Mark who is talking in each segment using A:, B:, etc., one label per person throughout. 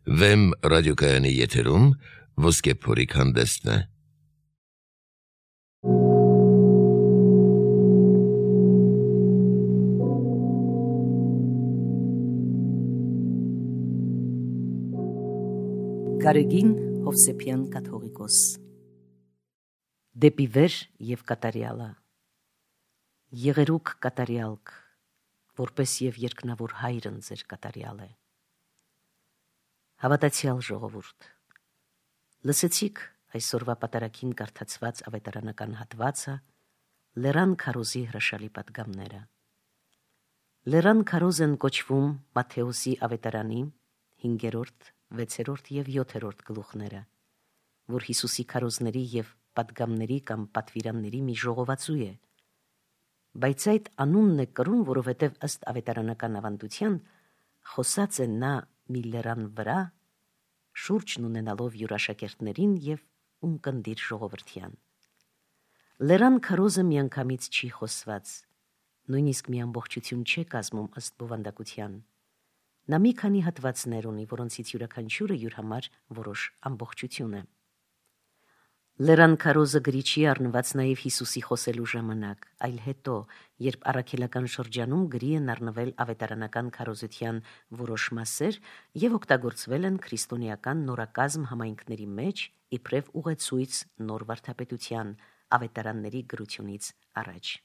A: Վեմ ռադիոկայանի եթերում ոսկե փորիկ հանդեսն է։
B: Գարեգին Հովսեփյան կաթողիկոս Դեպի վեր և կատարյալը Եղերուկ կատարյալք, որպես և երկնավոր հայրն ձեր կատարյալ է։ Հավատացյալ ժողովուրդ, լսեցիք այսօրվա պատարագին կարդացված ավետարանական հատվածը Լեռան քարոզի հրաշալի պատգամները։ Լեռան քարոզ են կոչվում Մատթեոսի ավետարանի 5-րդ, 6-րդ և 7-րդ գլուխները, որ Հիսուսի քարոզների և պատգամների կամ պատվիրանների մի ժողովածու է, բայց այդ անունն է կրում, որովհետև ըստ ավետարանական ավանդության խոսած է նա մի լեռան վրա, շուրջն ունենալով յուր աշակերտներին և ունկնդիր ժողովրդյան։ Լեռան քարոզը միանգամից չի խոսված, նույնիսկ մի ամբողջություն չէ կազմում ըստ բովանդակության։ Նա մի քանի հատվածներ ունի, որոնցից յուրաքանչյուրը յուր համար որոշ ամբողջություն է։ Լեռան քարոզը գրի չի առնված նաև Հիսուսի խոսելու ժամանակ, այլ հետո, երբ առաքելական շրջանում գրի են առնվել ավետարանական քարոզության որոշ մասեր և օգտագործվել են քրիստոնեական նորակազմ համայնքների մեջ իբրև ուղեցույց նոր վարդապետության ավետարանների գրությունից առաջ։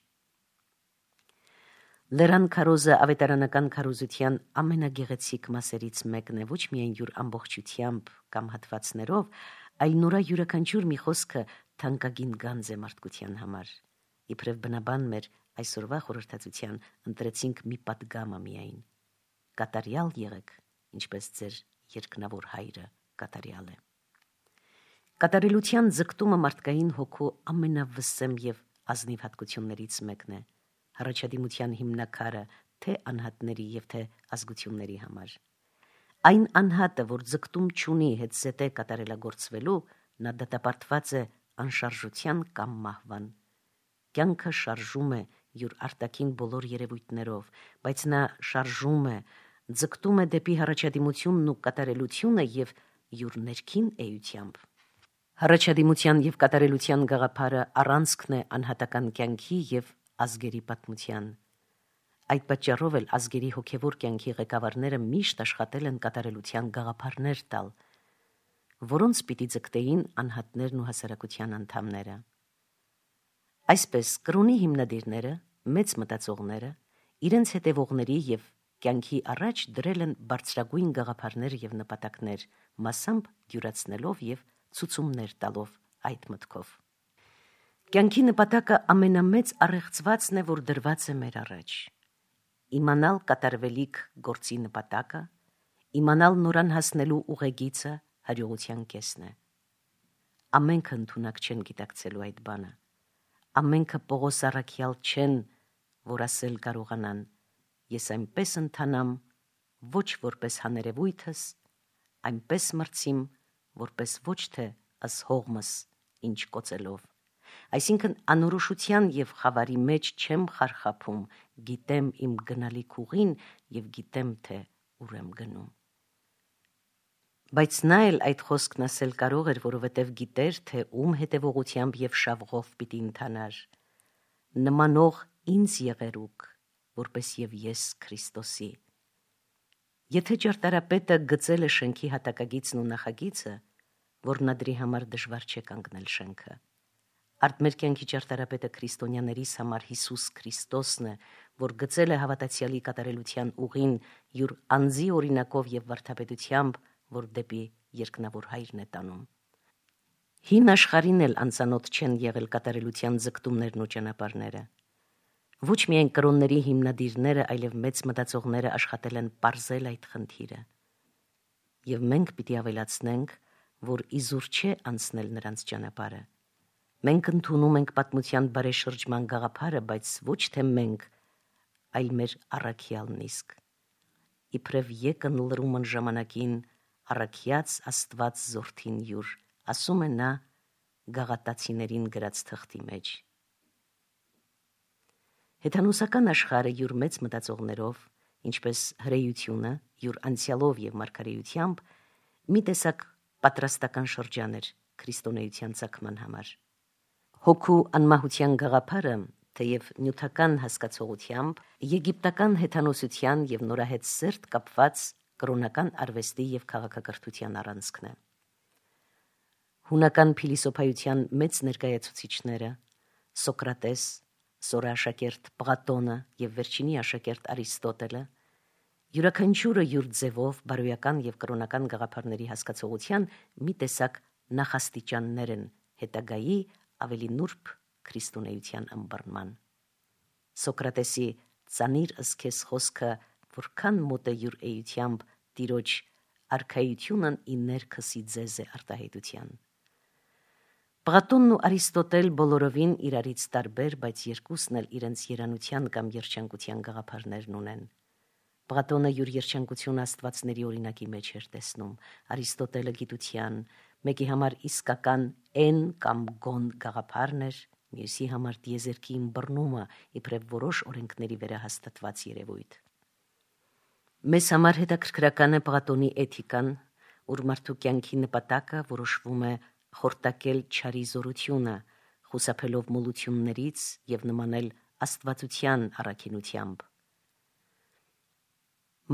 B: Լեռան քարոզը ավետարանական քարոզության ամենագեղեցիկ մասերից մեկն է, ոչ միայն յուր ամբողջությամբ կամ հատվածներով, այլ նորա յուրաքանչյուր մի խոսքը թանկագին գանձ է մարդկության համար։ Իբրև բնաբան մեր այսօրվա խորհրդածության ընտրեցինք մի պատգամը միայն. կատարյալ եղեք, ինչպես ձեր երկնավոր հայրը կատարյալ է։ Կատարելության ձգտումը մարդկային հոգու ամենավսեմ և ազնիվ հատկություններից մեկն է, հռչադիմության հիմնաքարը թե անհատների և թե ազգությունների համար։ Այն անհատը, որ ձգտում չունի հետզհետե կատարելագործվելու, նա դատապարտված է անշարժության կամ մահվան։ Կյանքը շարժում է յուր արտաքին բոլոր երևույթներով, բայց նա շարժում է, ձգտում է դեպի հռչադիմությունն ու կատարելությունը և յուր ներքին էությամբ։ Հռչադիմության և կատարելության գաղափարը առանցքն է անհատական կյանքի և ազգերի պատմության։ Այդ պատճառով էլ ազգերի հոգևոր կյանքի ղեկավարները միշտ աշխատել են կատարելության գաղափարներ տալ, որոնց պիտի ձգտեին անհատներն ու հասարակության անդամները։ Այսպես կրոնի հիմնադիրները, մեծ մտածողները, իրենց հետևողների և կյանքի առաջ դրել են բարձրագույն գաղափարներ և նպատակներ, մասամբ դյուրացնելով և ցուցումներ տալով այդ մտքով։ Կյանքի նպատակը ամենամեծ առեղծվածն է, որ դրված է մեր առաջ։ Իմանալ կատարվելիք գործի նպատակը, իմանալ նորան հասնելու ուղեգիծը հաջողության կեսն է։ Ամենքը ընդունակ չեն գիտակցելու այդ բանը։ Ամենքը Պողոս առաքյալ չեն, որ ասել կարողանան. ես այնպես ընթանամ, ոչ որպես հաներևույթս, այնպես մրցիմ, որպես ոչ թե ըս հողմս, ինչ կոծելով։ Այսինքն անորոշության և խավարի մեջ չեմ խարխափում, գիտեմ իմ գնալիք ուղին և գիտեմ, թե ուր եմ գնում։ Բայց նա էլ այդ խոսքն ասել կարող էր, որովհետև գիտեր, թե ում հետևողությամբ և շավղով պիտի ընթանար։ Նմանող ինձ եղերուկ, որպես և ես Քրիստոսի։ Եթե ճարտարապետը գծել է շենքի հատակագիծն ու նախագիծը, որնադրի համար դժվար չէ կանգնել շենքը։ Արդ մեր կյանքի ճարտարապետը քրիստոնյաներիս համար Հիսուս Քրիստոսն է, որ գծել է հավատացյալի կատարելության ուղին յուր անձի օրինակով և վարդապետությամբ, որ դեպի երկնավոր հայրն է տանում։ Հին աշխարհին էլ անծանոթ չեն եղել կատարելության ձգտումներն ու ճանապարհները։ Ոչ միայն կրոնների հիմնադիրները, այլև մեծ մտածողները աշխատել են պարզել այդ խնդիրը։ Եվ մենք պիտի ավելացնենք, որ իզուր չէ անցնել նրանց ճանապարհը։ Մենք ընդունում ենք պատմության բարեշրջման գաղափարը, բայց ոչ թե մենք, այլ մեր առաքյալն իսկ։ Իբրև եկն լրումն ժամանակին առաքյաց Աստված զորթին յուր, ասում է նա Գաղատացիներին գրած թղթի մեջ։ Հեթանոսական աշխարհը յուր մեծ մտածողներով, ինչպես հրեությունը յուր անցյալով և մարգարեությամբ, մի տեսակ պատրաստական շրջան էր քրիստոնեության ցակման համար։ Հոգու անմահության գաղափարը, թեև նյութական հասկացողությամբ, եգիպտական հեթանոսության եւ նորահետ սերտ կապված կրոնական արվեստի եւ քաղաքակրթության առանցքն է։ Հունական փիլիսոփայության մեծ ներկայացուցիչները Սոկրատես, սորաշակերտ Պլատոնը եւ վերջինի աշակերտ Արիստոտելը յուրաքանչյուրը յուր ձևով բարոյական եւ կրոնական գաղափարների հասկացողության մի տեսակ նախաստիճաններ են հետագայի ավելի նուրբ քրիստոնեության ըմբռնման։ Սոկրատեսի «Ծանիր ըսքես» խոսքը որքան մոտ է յուր էությամբ տիրոջ արքայությունն ի ներքսի ձեզ է արտահայտության։ Պլատոնն ու Արիստոտել բոլորովին իրարից տարբեր, բայց երկուսն էլ իրենց երանության կամ երջանկության գաղափարներն ունեն։ Պլատոնը յուր երջանկությունը աստվածների օրինակի մեջ էր տեսնում, Արիստոտելը գիտության, մեկի համար իսկական են կամ գոն գաղափարն էր, մյուսի համար տիեզերքի ըմբռնումը իբրև որոշ օրենքների վերահաստատված երևույթ։ Մեզ համար հետաքրքրական է Պլատոնի էթիկան, ուր մարդու կյանքի նպատակը որոշվում է խորտակել չարի զորությունը, խուսափելով մոլություններից եւ նմանել աստվածության առաքինությամբ։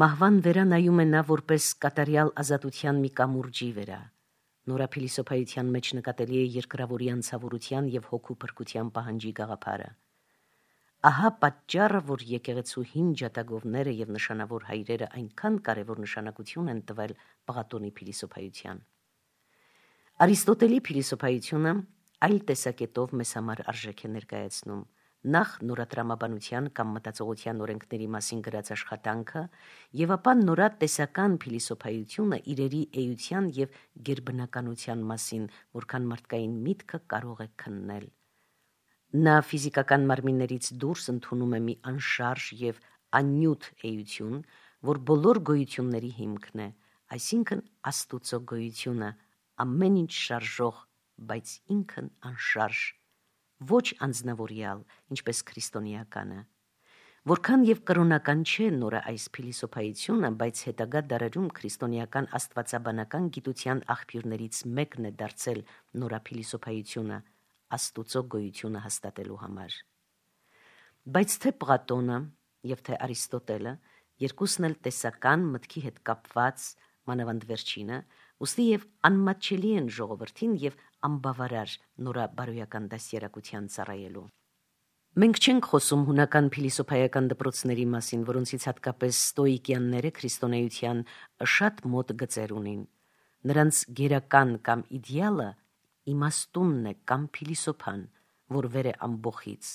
B: Մահվան վերա նայում է նա որպես կատարյալ ազատության մի կամուրջի վերա։ Նորափիլիսոփայության մեջ նկատելի է երկրավորի անցավորության եւ հոգու փրկության պահանջի գաղափարը։ Ահա պատճառը, որ եկեղեցու հին ջատագովները եւ նշանավոր հայրերը այնքան կարևոր նշանակություն են տվել Պլատոնի փիլիսոփայության։ Արիստոտելի փիլիսոփայությունը այլ տեսակետով մեզ համար արժեք է ներկայացնում։ Նախ նորատրամաբանության կամ մտածողության օրենքների մասին գրած աշխատանքը եւ ապա նորատեսական փիլիսոփայությունը իրերի էության եւ գերբնականության մասին, որքան մարդկային միտքը կարող է քննել։ Նա ֆիզիկական մարմիններից դուրս ընդունում է մի անշարժ եւ աննյութ էություն, որ բոլոր գոյությունների հիմքն է, այսինքն Աստուծո գոյությունը, ամեն ինչ շարժող, բայց ինքն անշարժ, ոչ անձնավորյալ, ինչպես քրիստոնեականը։ Որքան եւ կրոնական չէ նորը այս փիլիսոփայությունը, բայց հետագա դարերում քրիստոնեական աստվածաբանական գիտության աղբյուրներից մեկն է դարձել նորափիլիսոփայությունը Աստուծո գոյությունը հաստատելու համար։ Բայց թե Պլատոնը եւ թե Արիստոտելը երկուսն էլ տեսական մտքի հետ կապված, մանավանդ վերջինը, ուստի եւ անմատչելի են ժողովրդին եւ անբավարար նորաբարոյական դաստիարակության ծառայելու։ Մենք չենք խոսում հունական փիլիսոփայական դպրոցների մասին, որոնցից հատկապես ստոիկյանները քրիստոնեության շատ մոտ գծեր ունին։ Նրանց գերական կամ իդեալը իմաստունն է կամ փիլիսոփան, որ վեր է ամբողից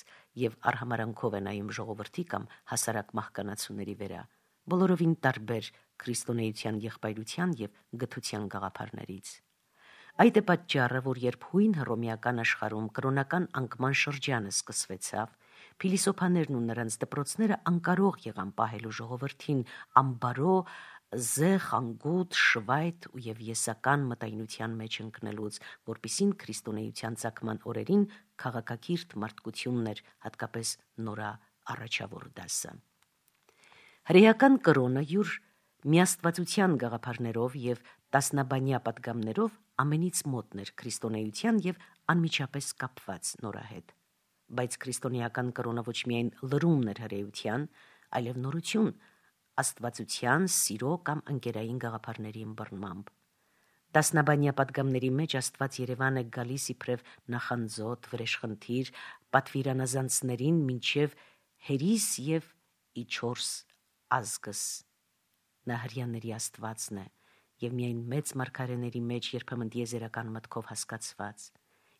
B: եւ արհամարանքով է նայում ժողովրդի կամ հասարակ մահկանացուների վերա, բոլորովին տարբեր քրիստոնեության եղբայրության եւ գթության գաղափարներից։ Այդ է պատճառը, որ երբ հույն հռոմեական աշխարհում կրոնական անկման շրջանը սկսվեցավ, փիլիսոփաներն ու նրանց դպրոցները անկարող եղան պահելու ժողովրդին ամբարո, զեղ, անգութ, շվայտ եւ եսական մտայնության մեջ ընկնելուց, որպիսին քրիստոնեության ցակման օրերին քաղաքակիրթ մարդկությունն էր, հատկապես նորա առաջավոր դասը։ Հրեական կրոնը յուր միաստվածության գաղափարներով եւ տասնաբանյա պատգամներով ամենից մոտն էր քրիստոնեության եւ անմիջապես կապված նորա հետ։ Բայց քրիստոնեական կրոնը ոչ միայն լրումն էր հրեության, այլև նորություն, աստվածության, սիրո կամ ընկերային գաղափարների ըմբռնմամբ։ Տասնաբանյա պատգամների մեջ Աստված Երևան է գալիս իբրև նախանձոտ, վրեժխնդիր, պատվիրանազանցներին մինչև հերիս եւ իչորս ազգս։ Նա հրյաների Աստվածն է եւ միայն մեծ մարգարեների մեջ երբեմն դիեզերական մտքով հասկացված։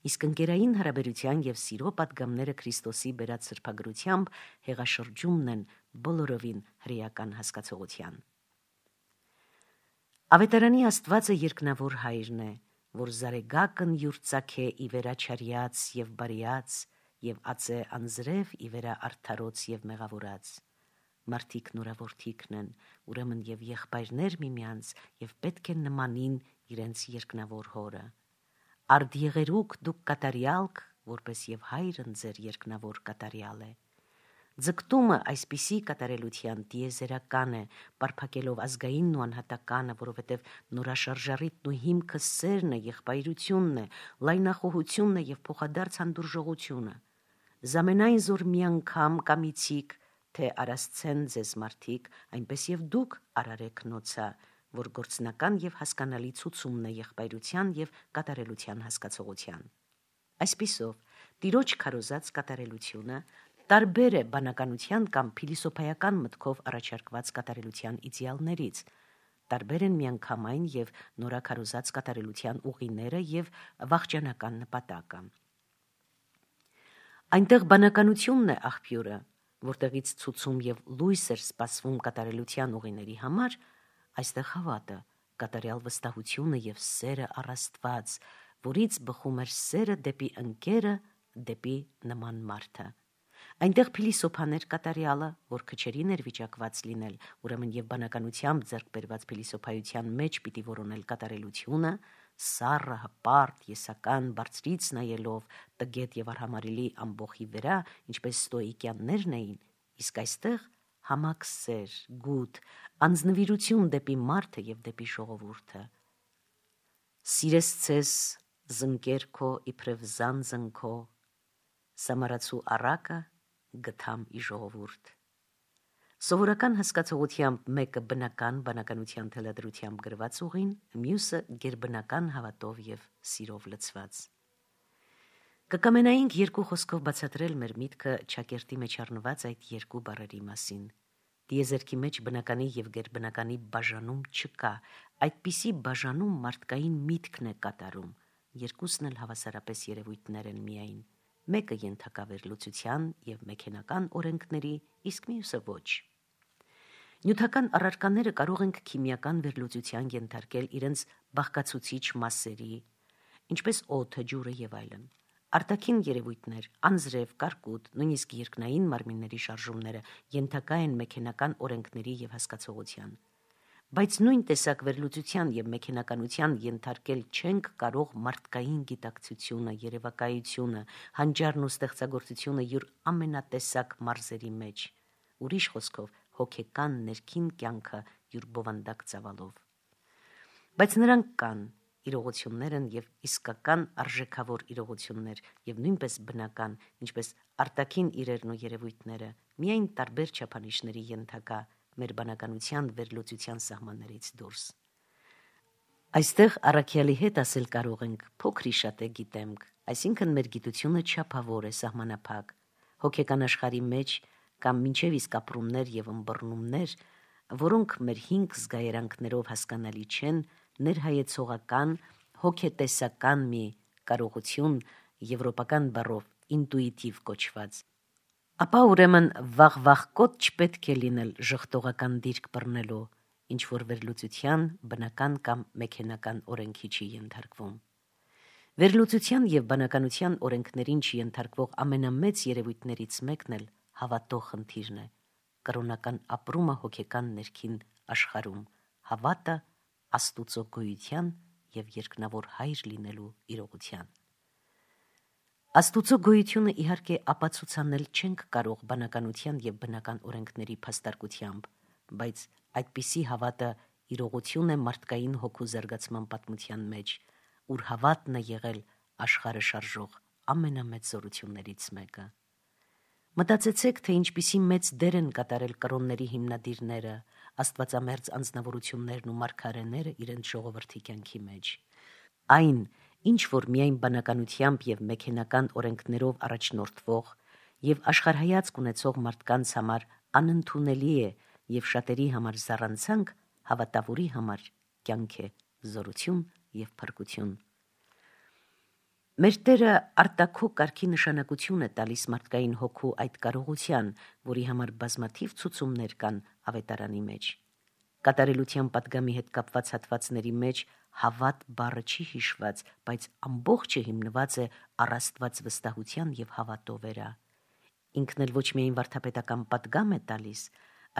B: Իսկ ընկերային հարաբերության եւ սիրո պատգամները Քրիստոսի բերած սրբագրությամբ հեղաշրջումն են բոլորովին հրեական հասկացողության։ Ավետարանի Աստվածը երկնավոր հայրն է, որ զարեգակն յուր ծագե ի վերաչարյաց եւ բարիած եւ ածե անձրև ի վերա արդարոց եւ մեղավորած։ Մարդիկ նորավորթիկն են, ուրեմն եւ եղբայրներ միմյանց եւ պետք է նմանին իրենց երկնավոր հորը։ Արդ եղերուկ դուք կատարյալք, որպես եւ հայրն ձեր երկնավոր կատարյալ է։ Ձգտումը այսպիսի կատարելության տիեզերական է, պարփակելով ազգայինն ու անհատականը, որովհետև նորաշարժառիթն ու հիմքը սերն է, եղբայրությունն է, լայնախոհությունն է եւ փոխադարձ հանդուրժողությունը։ Զամենայն զոր մի անգամ կամիցիկ, թե արասցեն ձեզ մարդիկ, այնպես եւ դուք արարեք նոցա, որ գործնական եւ հասկանալի ցուցումն է եղբայրության եւ կատարելության հասկացողության։ Այսպիսով, տիրոջ քարոզած կատարելությունը տարբեր է բանականության կամ փիլիսոփայական մտքով առաջարկված կատարելության իդեալներից, տարբեր են միանգամայն եւ նորաքարոզած կատարելության ուղիները եւ վաղճանական նպատակը։ Այնտեղ բանականությունն է աղբյուրը, որտեղից ցուցում եւ լույս էր սպասվում կատարելության ուղիների համար, այստեղ հավատը, կատարյալ վստահությունը եւ սերը առ Աստված, որից բխում էր սերը դեպի ընկերը, դեպի նման մարդը։ Այնտեղ փիլիսոփաներ կատարյալը, որ քչերին էր վիճակված լինել, ուրեմն եւ բանականությամբ ձեռք բերված փիլիսոփայության մեջ պիտի որոնել կատարելությունը, սառը, հպարտ, եսական, բարձրից նայելով, տգետ եւ արհամարելի ամբողի վրա, ինչպես ստոիկյաններն էին, իսկ այստեղ համակ սեր, գութ, անձնվիրություն դեպի մարդը եւ դեպի ժողովուրդը։ Սիրես ցես զնկեր քո իբրև զանձն քո, սամարացու առակը գթամ ի ժողովուրդ։ Սովորական հասկացողությամբ մեկը բնական բանականության թելադրությամբ գրված ուղին, մյուսը գերբնական հավատով եւ սիրով լցված։ Կկամենայինք երկու խոսքով բացատրել մեր միտքը ճակերտի մեջ առնված այդ երկու բառերի մասին։ Տիեզերքի մեջ բնականի եւ գերբնականի բաժանում չկա, այդպիսի բաժանում մարդկային միտքն է կատարում, երկուսն էլ հավասարապես երևույթներ են միայն, մեկը ենթակա վերլուծության եւ մեքենական օրենքների, իսկ մյուսը ոչ։ Նյութական առարկաները կարող ենք քիմիական վերլուծության ենթարկել իրենց բաղկացուցիչ մասերի, ինչպես օդը, ջուրը եւ այլն։ Արտաքին երևույթներ, անձրև, կարկուտ, նույնիսկ երկնային մարմինների շարժումները ենթակա են մեքենական օրենքների եւ հասկացողության։ Բայց նույն տեսակ վերլուծության եւ մեքենականության ենթարկել չենք կարող մարդկային գիտակցությունը, երևակայությունը, հանճարն ու ստեղծագործությունը յուր ամենատեսակ մարզերի մեջ, ուրիշ խոսքով հոգեկան ներքին կյանքը յուր բովանդակ ծավալով։ Բայց նրանք կան, իրողություններ են եւ իսկական արժեքավոր իրողություններ եւ նույնպես բնական, ինչպես արտաքին իրերն ու երևույթները, միայն տարբեր չափանիշների ենթակա մեր բանականության վերլուծության սահմաններից դուրս։ Այստեղ առաքյալի հետ ասել կարող ենք փոքրի շատ է գիտեմք, այսինքն մեր գիտությունը չափավոր է, սահմանափակ, հոգեկան աշխարհի մեջ կամ մինչև իսկ ապրումներ եւ ըմբռնումներ, որոնք մեր հինգ զգայարանքներով հասկանալի չեն, ներհայեցողական, հոգետեսական մի կարողություն, եվրոպական բառով ինտուիտիվ կոչված։ Ապա ուրեմն վաղ-կոտ չպետք է լինել ժխտողական դիրք բռնելու, ինչ որ վերլուծության բնական կամ մեքենական օրենքի չի ենթարկվում։ Վերլուծության եւ բանականության օրենքներին չենթարկվող ամենամեծ երևույթներից մեկն էլ հավատո խնդիրն է, կրոնական ապրումը հոգեկան ներքին աշխարհում, հավատը Աստուծո գոյության եւ երկնավոր հայր լինելու իրողության։ Աստուծո գոյությունը իհարկե ապացուցանել չենք կարող բանականության եւ բնական օրենքների փաստարկությամբ, բայց այդպիսի հավատը իրողություն է մարդկային հոգու զարգացման պատմության մեջ, ուր հավատն է եղել աշխարհը շարժող ամենամեծ զորություններից մեկը։ Մտածեցեք, թե ինչպիսի մեծ դեր են կատարել կրոնների հիմնադիրները, աստվածամերձ անձնավորություններն ու մարգարեները իրենց ժողովրդի կյանքի մեջ։ Այն, ինչ որ միայն բանականությամբ եւ մեքենական օրենքներով առաջնորդվող եւ աշխարհայացք ունեցող մարդկանց համար անընդունելի է եւ շատերի համար զառանցանք, հավատավորի համար կյանք է, զորություն եւ փրկություն։ Մեր Տերը արտաքո կարգի նշանակություն է տալիս մարդկային հոգու այդ կարողության, որի համար բազմաթիվ ցուցումներ կան ավետարանի մեջ։ Կատարելության պատգամի հետ կապված հատվածների մեջ հավատ բառը չի հիշված, բայց ամբողջը հիմնված է առ Աստված վստահության եւ հավատո վրա։ Ինքն էլ ոչ միայն վարդապետական պատգամ է տալիս,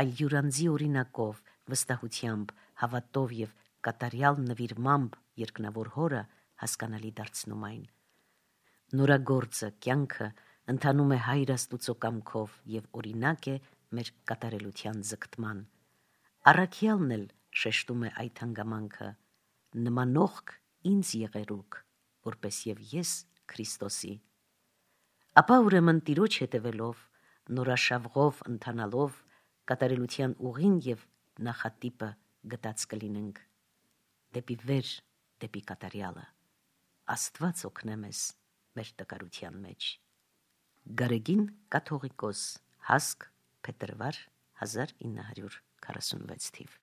B: այլ յուրանձի օրինակով, վստահությամբ, հավատով եւ կատարյալ նվիրմամբ երկնավոր հորը հասկանալի դարձնում այն։ Նորագործը, կյանքը ընթանում է Հայր Աստուծո կամքով եւ օրինակ է մեր կատարելության ձգտման։ Առաքյալն էլ շեշտում է այդ հանգամանքը. նմանողք ինձ եղերուք, որպես եւ ես Քրիստոսի։ Ապա ուրեմն Տիրոջ հետևելով, նորաշավղով ընթանալով, կատարելության ուղին եւ նախատիպը գտած կլինենք, դեպի վեր, դեպի կատարյալը։ Աստված օգնե մեզ մեր տկարության մեջ։ Գարեգին կաթողիկոս, Հասկ, փետրվար 1946 թիվ։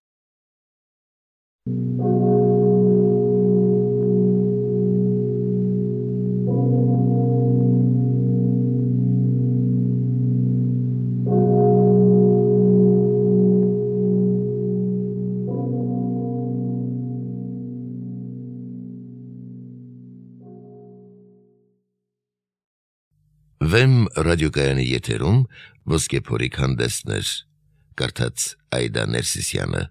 A: Վեմ ռադիոկայանի եթերում ոսկե փորիկ հանդեսներ, կարդաց Այդա Ներսիսյանը։